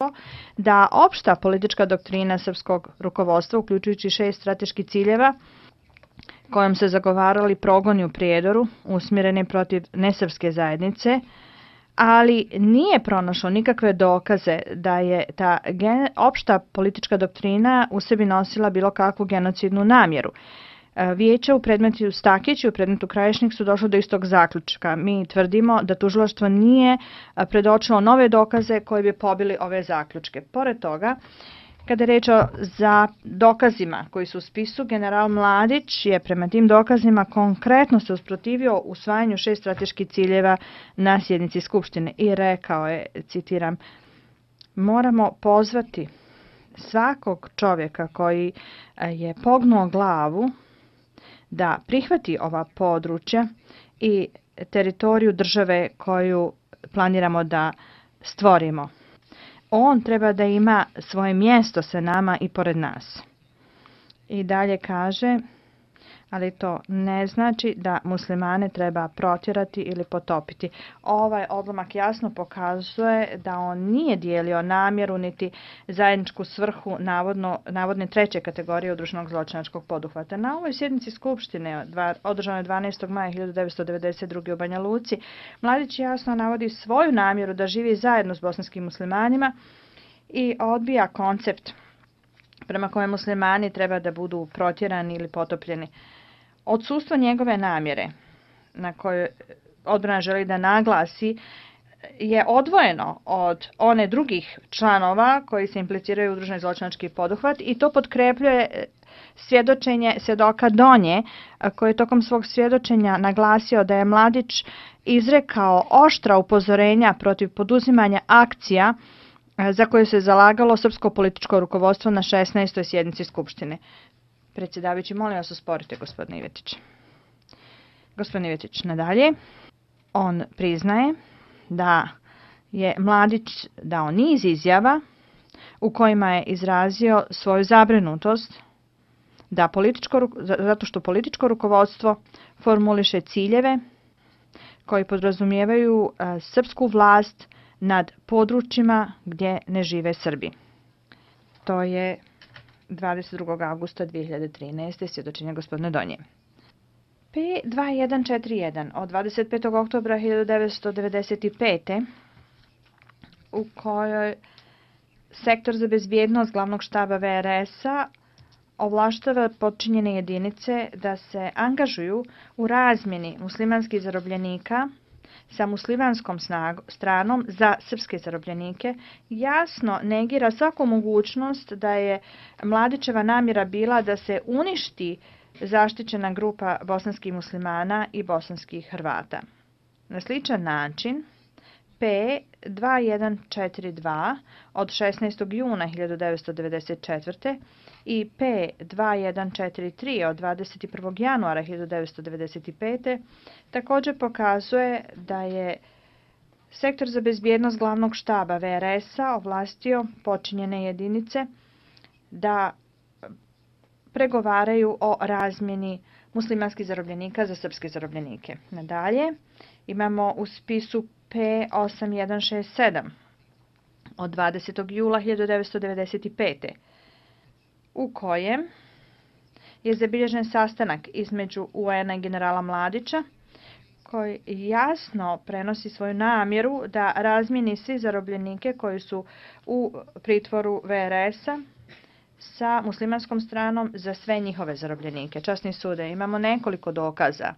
to da opšta politička doktrina srpskog rukovodstva, uključujući 6 strateških ciljeva, kojom se zagovarali progoni u Prijedoru, usmjereni protiv nesrpske zajednice, ali nije pronašlo nikakve dokaze da je ta opšta politička doktrina u sebi nosila bilo kakvu genocidnu namjeru. Vijeće u predmetu Stakić i u predmetu Krajišnik su došli do istog zaključka. Mi tvrdimo da tužilaštvo nije predočilo nove dokaze koji bi pobili ove zaključke. Pored toga, kada je reč o dokazima koji su u spisu, general Mladić je prema tim dokazima konkretno se usprotivio usvajanju 6 strateških ciljeva na sjednici Skupštine i rekao je, citiram, moramo pozvati svakog čovjeka koji je pognuo glavu da prihvati ova područja i teritoriju države koju planiramo da stvorimo. On treba da ima svoje mjesto sa nama i pored nas. I dalje kaže, ali to ne znači da muslimane treba protjerati ili potopiti. Ovaj odlomak jasno pokazuje da on nije dijelio namjeru niti zajedničku svrhu navodne treće kategorije udruženog zločinačkog poduhvata. Na ovoj sjednici Skupštine, održanoj 12. maja 1992. u Banja Luci, Mladić jasno navodi svoju namjeru da živi zajedno s bosanskim muslimanima i odbija koncept prema kojem muslimani treba da budu protjerani ili potopljeni. Odsustvo njegove namjere, na kojoj odbrana želi da naglasi, je odvojeno od one drugih članova koji se impliciraju u udruženi zločinački poduhvat i to potkrepljuje svjedočenje svjedoka Donje, koji je tokom svog svjedočenja naglasio da je Mladić izrekao oštra upozorenja protiv poduzimanja akcija za koje se zalagalo srpsko političko rukovodstvo na 16. sjednici Skupštine. Predsjedavajući, molim vas usporite, gospodine Ivetić. Gospodin Ivetić, nadalje. On priznaje da je Mladić dao niz izjava u kojima je izrazio svoju zabrinutost da zato što političko rukovodstvo formuliše ciljeve koji podrazumijevaju srpsku vlast nad područjima gdje ne žive Srbi. To je 22. augusta 2013. svjedočenje gospodine Donje. P2141 od 25. oktobra 1995. u kojoj Sektor za bezbjednost glavnog štaba VRS-a ovlaštava podčinjene jedinice da se angažuju u razmjeni muslimanskih zarobljenika sa muslimanskom stranom za srpske zarobljenike, jasno negira svaku mogućnost da je Mladićeva namjera bila da se uništi zaštićena grupa bosanskih muslimana i bosanskih Hrvata. Na sličan način, P2142 od 16. juna 1994. i P2143 od 21. januara 1995. također pokazuje da je Sektor za bezbjednost glavnog štaba VRS-a ovlastio počinjene jedinice da pregovaraju o razmjeni muslimanskih zarobljenika za srpske zarobljenike. Nadalje, imamo u spisu P8167 od 20. jula 1995. u kojem je zabilježen sastanak između UN-a i generala Mladića, koji jasno prenosi svoju namjeru da razmijeni svi zarobljenike koji su u pritvoru VRS-a sa muslimanskom stranom za sve njihove zarobljenike. Časni sude, imamo nekoliko dokaza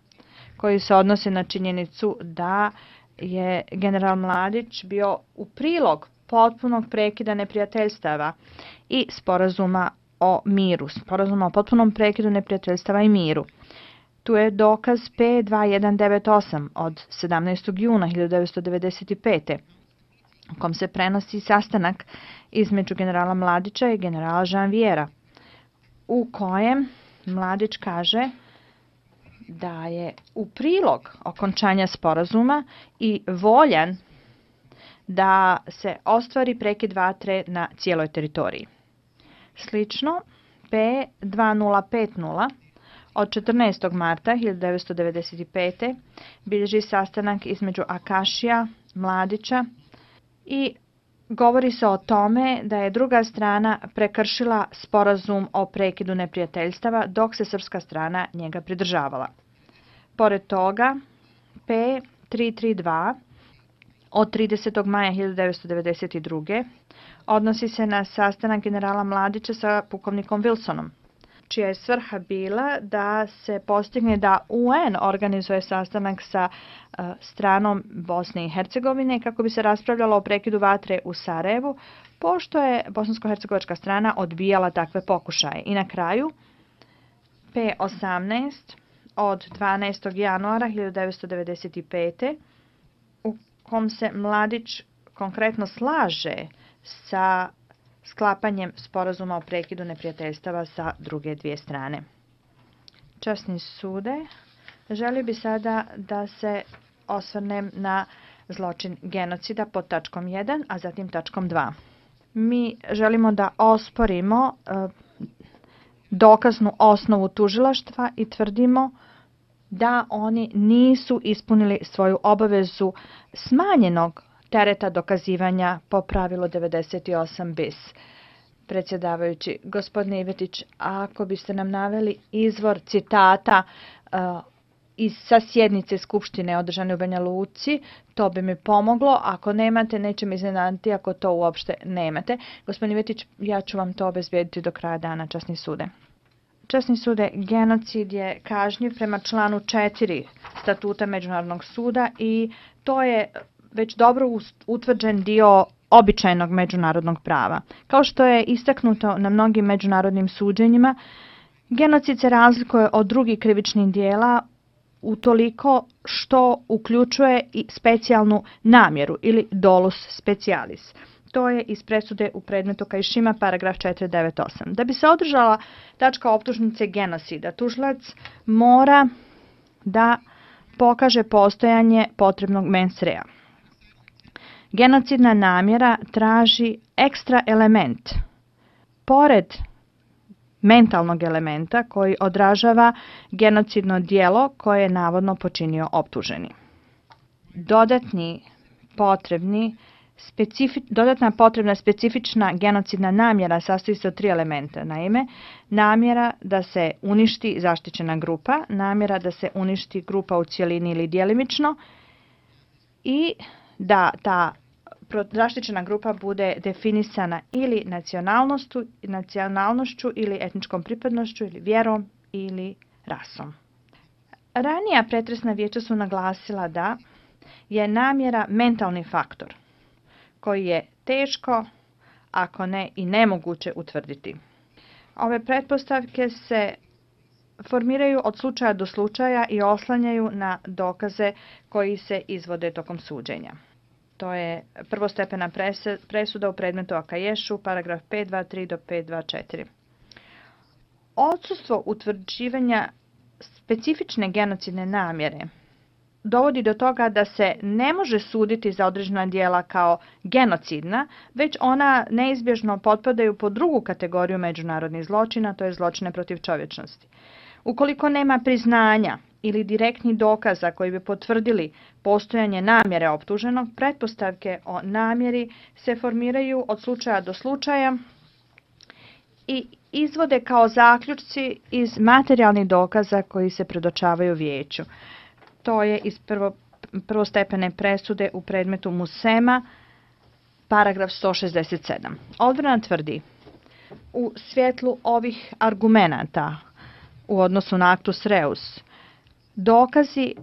koji se odnose na činjenicu da je general Mladić bio u prilog potpunog prekida neprijateljstava i sporazuma o miru, sporazuma o potpunom prekidu neprijateljstava i miru. Tu je dokaz P2198 od 17. juna 1995. u kom se prenosi sastanak između generala Mladića i generala Janviera, u kojem Mladić kaže da je u prilog okončanja sporazuma i voljan da se ostvari prekid vatre na cijeloj teritoriji. Slično, P2050 od 14. marta 1995. bilježi sastanak između Akašija, Mladića i govori se o tome da je druga strana prekršila sporazum o prekidu neprijateljstava dok se srpska strana njega pridržavala. Pored toga, P332 od 30. maja 1992. odnosi se na sastanak generala Mladića sa pukovnikom Wilsonom, čija je svrha bila da se postigne da UN organizuje sastanak sa stranom Bosne i Hercegovine kako bi se raspravljalo o prekidu vatre u Sarajevu, pošto je bosansko-hercegovačka strana odbijala takve pokušaje. I na kraju, P18 od 12. januara 1995. u kom se Mladić konkretno slaže sa sklapanjem sporazuma o prekidu neprijateljstava sa druge dvije strane. Časni sude, želio bi sada da se osvrnem na zločin genocida pod tačkom 1, a zatim tačkom 2. Mi želimo da osporimo dokaznu osnovu tužilaštva i tvrdimo da oni nisu ispunili svoju obavezu smanjenog tereta dokazivanja po pravilu 98 bis. Predsjedavajući, gospodine Ivetić, ako biste nam naveli izvor citata sa sjednice Skupštine održane u Banja Luci, to bi mi pomoglo. Ako nemate, neće me iznenaditi ako to uopšte nemate. Gospodine Ivetić, ja ću vam to obezbijediti do kraja dana, časni sude. Časni sude, genocid je kažnjiv prema članu 4 statuta Međunarodnog suda i to je već dobro utvrđen dio običajnog međunarodnog prava. Kao što je istaknuto na mnogim međunarodnim suđenjima, genocid se razlikuje od drugih krivičnih dijela utoliko što uključuje i specijalnu namjeru ili dolus specialis. To je iz presude u predmetu Kajšima, paragraf 498. Da bi se održala tačka optužnice genocida, tužilac mora da pokaže postojanje potrebnog mens rea. Genocidna namjera traži ekstra element, pored mentalnog elementa koji odražava genocidno djelo koje je navodno počinio optuženi. Dodatna potrebna specifična genocidna namjera sastoji se od 3 elementa. Naime, namjera da se uništi zaštićena grupa, namjera da se uništi grupa u cjelini ili djelimično i da ta zaštićena grupa bude definisana ili nacionalnošću ili etničkom pripadnošću ili vjerom ili rasom. Ranija pretresna vijeća su naglasila da je namjera mentalni faktor koji je teško, ako ne i nemoguće utvrditi. Ove pretpostavke se formiraju od slučaja do slučaja i oslanjaju na dokaze koji se izvode tokom suđenja. To je prvostepena presuda u predmetu Akaješu, paragraf 523 do 524. Odsustvo utvrđivanja specifične genocidne namjere dovodi do toga da se ne može suditi za određena djela kao genocidna, već ona neizbježno potpadaju pod drugu kategoriju međunarodnih zločina, to je zločine protiv čovječnosti. Ukoliko nema priznanja ili direktnih dokaza koji bi potvrdili postojanje namjere optuženog, pretpostavke o namjeri se formiraju od slučaja do slučaja i izvode kao zaključci iz materijalnih dokaza koji se predočavaju vijeću. To je iz prvostepene presude u predmetu Musema, paragraf 167. Odbrana tvrdi, u svjetlu ovih argumenata u odnosu na actus reus, dokazi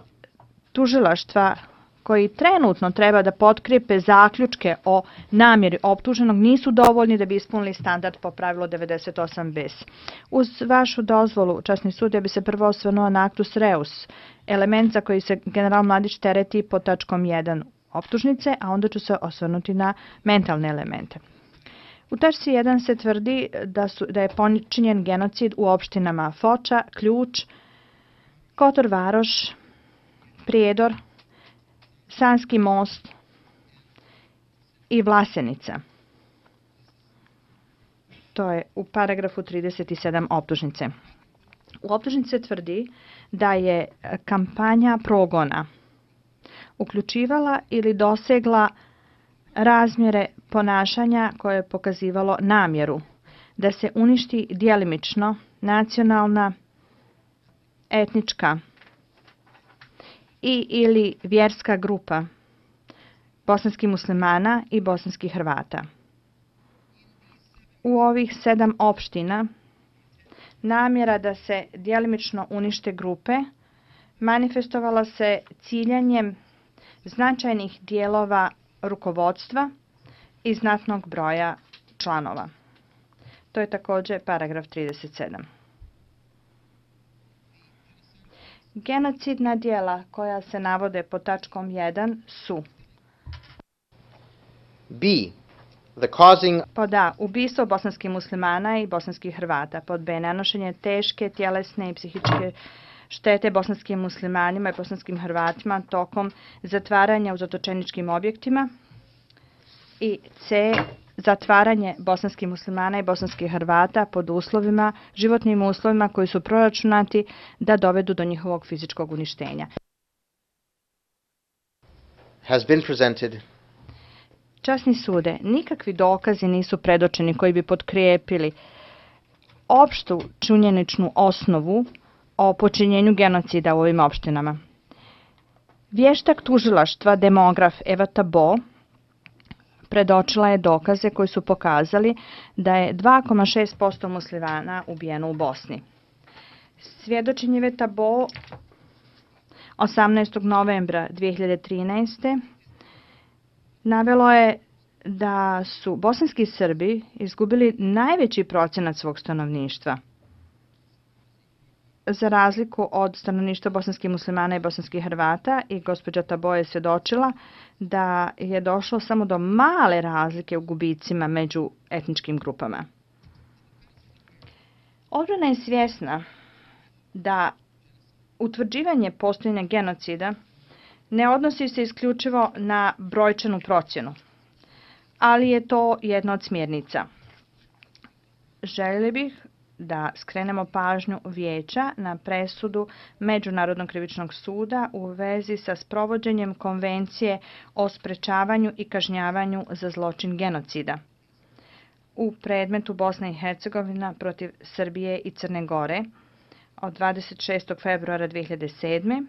tužilaštva koji trenutno treba da potkrijepe zaključke o namjeri optuženog nisu dovoljni da bi ispunili standard po pravilu 98 bis. Uz vašu dozvolu, časni sud, ja bi se prvo osvrnuo na actus reus, element za koji se general Mladić tereti pod tačkom 1 optužnice, a onda ću se osvrnuti na mentalne elemente. U tačci 1 se tvrdi da je počinjen genocid u opštinama Foča, Ključ, Kotor Varoš, Prijedor, Sanski most i Vlasenica. To je u paragrafu 37 optužnice. U optužnici se tvrdi da je kampanja progona uključivala ili dosegla razmjere ponašanja koje je pokazivalo namjeru da se uništi djelimično nacionalna, etnička ili vjerska grupa bosanskih muslimana i bosanskih Hrvata. U ovih 7 opština namjera da se djelimično unište grupe manifestovala se ciljanjem značajnih dijelova rukovodstva i znatnog broja članova. To je također paragraf 37. Genocidna djela koja se navode pod tačkom 1 su: B. The causing pod A. Ubistvo bosanskih muslimana i bosanskih Hrvata. Pod B. Nanošenje teške tjelesne i psihičke štete bosanskim muslimanima i bosanskim Hrvatima tokom zatvaranja u zatočeničkim objektima. I C. Zatvaranje bosanskih muslimana i bosanskih Hrvata pod uslovima, životnim uslovima koji su proračunati da dovedu do njihovog fizičkog uništenja. has been presented Časni sude, nikakvi dokazi nisu predočeni koji bi potkrijepili opštu činjeničnu osnovu o počinjenju genocida u ovim opštinama. Vještak tužilaštva demograf Eva Tabo predočila je dokaze koji su pokazali da je 2,6% muslimana ubijeno u Bosni. Svjedočenje Eve Tabo 18. novembra 2013. navelo je da su bosanski Srbi izgubili najveći procenat svog stanovništva. Za razliku od stanovništva bosanskih muslimana i bosanskih Hrvata, i gospođa Tabo je svjedočila da je došlo samo do male razlike u gubicima među etničkim grupama. Odbrana je svjesna da utvrđivanje postojanja genocida ne odnosi se isključivo na brojčanu procjenu, ali je to jedna od smjernica. Željeli bih da skrenemo pažnju Vijeća na presudu Međunarodnog krivičnog suda u vezi sa sprovođenjem Konvencije o sprečavanju i kažnjavanju za zločin genocida u predmetu Bosna i Hercegovina protiv Srbije i Crne Gore od 26. februara 2007.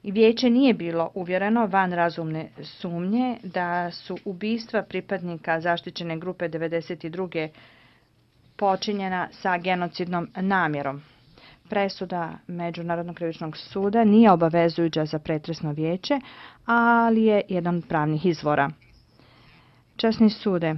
Vijeće nije bilo uvjereno van razumne sumnje da su ubistva pripadnika zaštićene grupe 92. počinjena sa genocidnom namjerom. Presuda Međunarodnog krivičnog suda nije obavezujuća za pretresno vijeće, ali je jedan od pravnih izvora. Časni sude,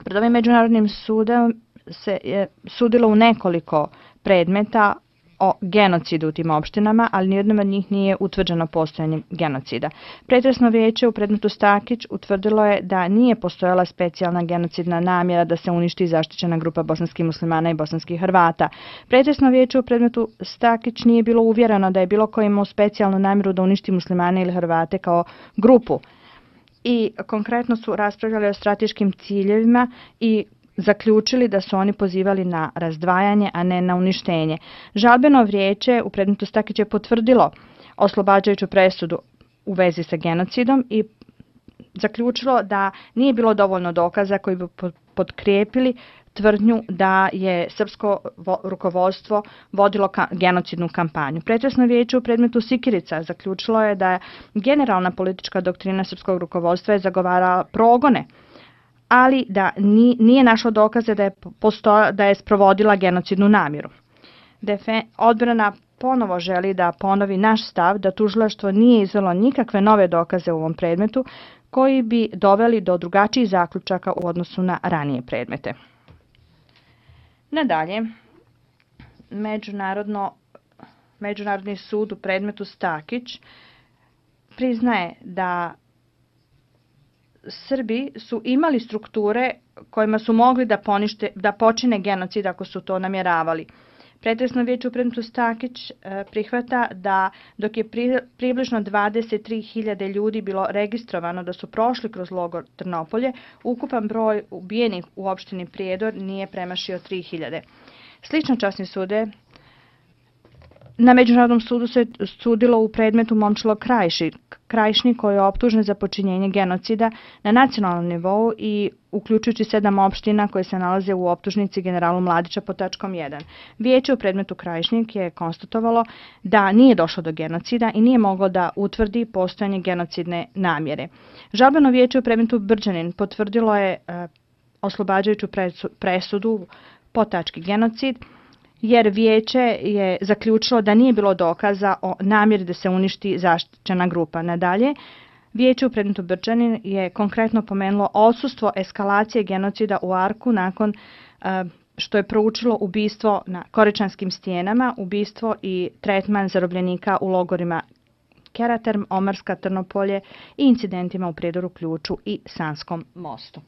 pred ovim Međunarodnim sudom se je sudilo u nekoliko predmeta o genocidu u tim opštinama, ali nijednom od njih nije utvrđeno postojanje genocida. Pretresno vijeće u predmetu Stakić utvrdilo je da nije postojala specijalna genocidna namjera da se uništi zaštićena grupa bosanskih muslimana i bosanskih Hrvata. Pretresno vijeće u predmetu Stakić nije bilo uvjereno da je bilo ko imao specijalnu namjeru da uništi muslimane ili Hrvate kao grupu. I konkretno su raspravljali o strateškim ciljevima i zaključili da su oni pozivali na razdvajanje, a ne na uništenje. Žalbeno vijeće u predmetu Stakić je potvrdilo oslobađajuću presudu u vezi sa genocidom i zaključilo da nije bilo dovoljno dokaza koji bi potkrijepili tvrdnju da je srpsko rukovodstvo vodilo genocidnu kampanju. Pretresno vijeće u predmetu Sikirica zaključilo je da generalna politička doktrina srpskog rukovodstva je zagovarala progone, ali da nije našlo dokaze da je sprovodila genocidnu namjeru. Odbrana ponovo želi da ponovi naš stav da tužilaštvo nije izvelo nikakve nove dokaze u ovom predmetu koji bi doveli do drugačijih zaključaka u odnosu na ranije predmete. Nadalje, Međunarodni sud u predmetu Stakić priznaje da Srbi su imali strukture kojima su mogli da počine genocid ako su to namjeravali. Pretresno vijeće u predmetu Stakić prihvata da dok je približno 23.000 ljudi bilo registrovano da su prošli kroz logor Trnopolje, ukupan broj ubijenih u opštini Prijedor nije premašio 3.000. Slično časni sude Na Međunarodnom sudu se sudilo u predmetu Momčilo Krajišnik koji je optužen za počinjenje genocida na nacionalnom nivou i uključujući 7 opština koje se nalaze u optužnici generalu Mladića pod tačkom 1. Vijeće u predmetu Krajišnik je konstatovalo da nije došlo do genocida i nije moglo da utvrdi postojanje genocidne namjere. Žalbeno vijeće u predmetu Brđanin potvrdilo je oslobađajuću presudu po tački genocid, jer vijeće je zaključilo da nije bilo dokaza o namjeri da se uništi zaštićena grupa. Nadalje, vijeće u predmetu Brđanin je konkretno pomenulo odsustvo eskalacije genocida u Arku nakon što je proučilo ubistvo na Koričanskim stijenama, ubistvo i tretman zarobljenika u logorima Keraterm, Omarska, Trnopolje i incidentima u Prijedoru, Ključu i Sanskom mostu.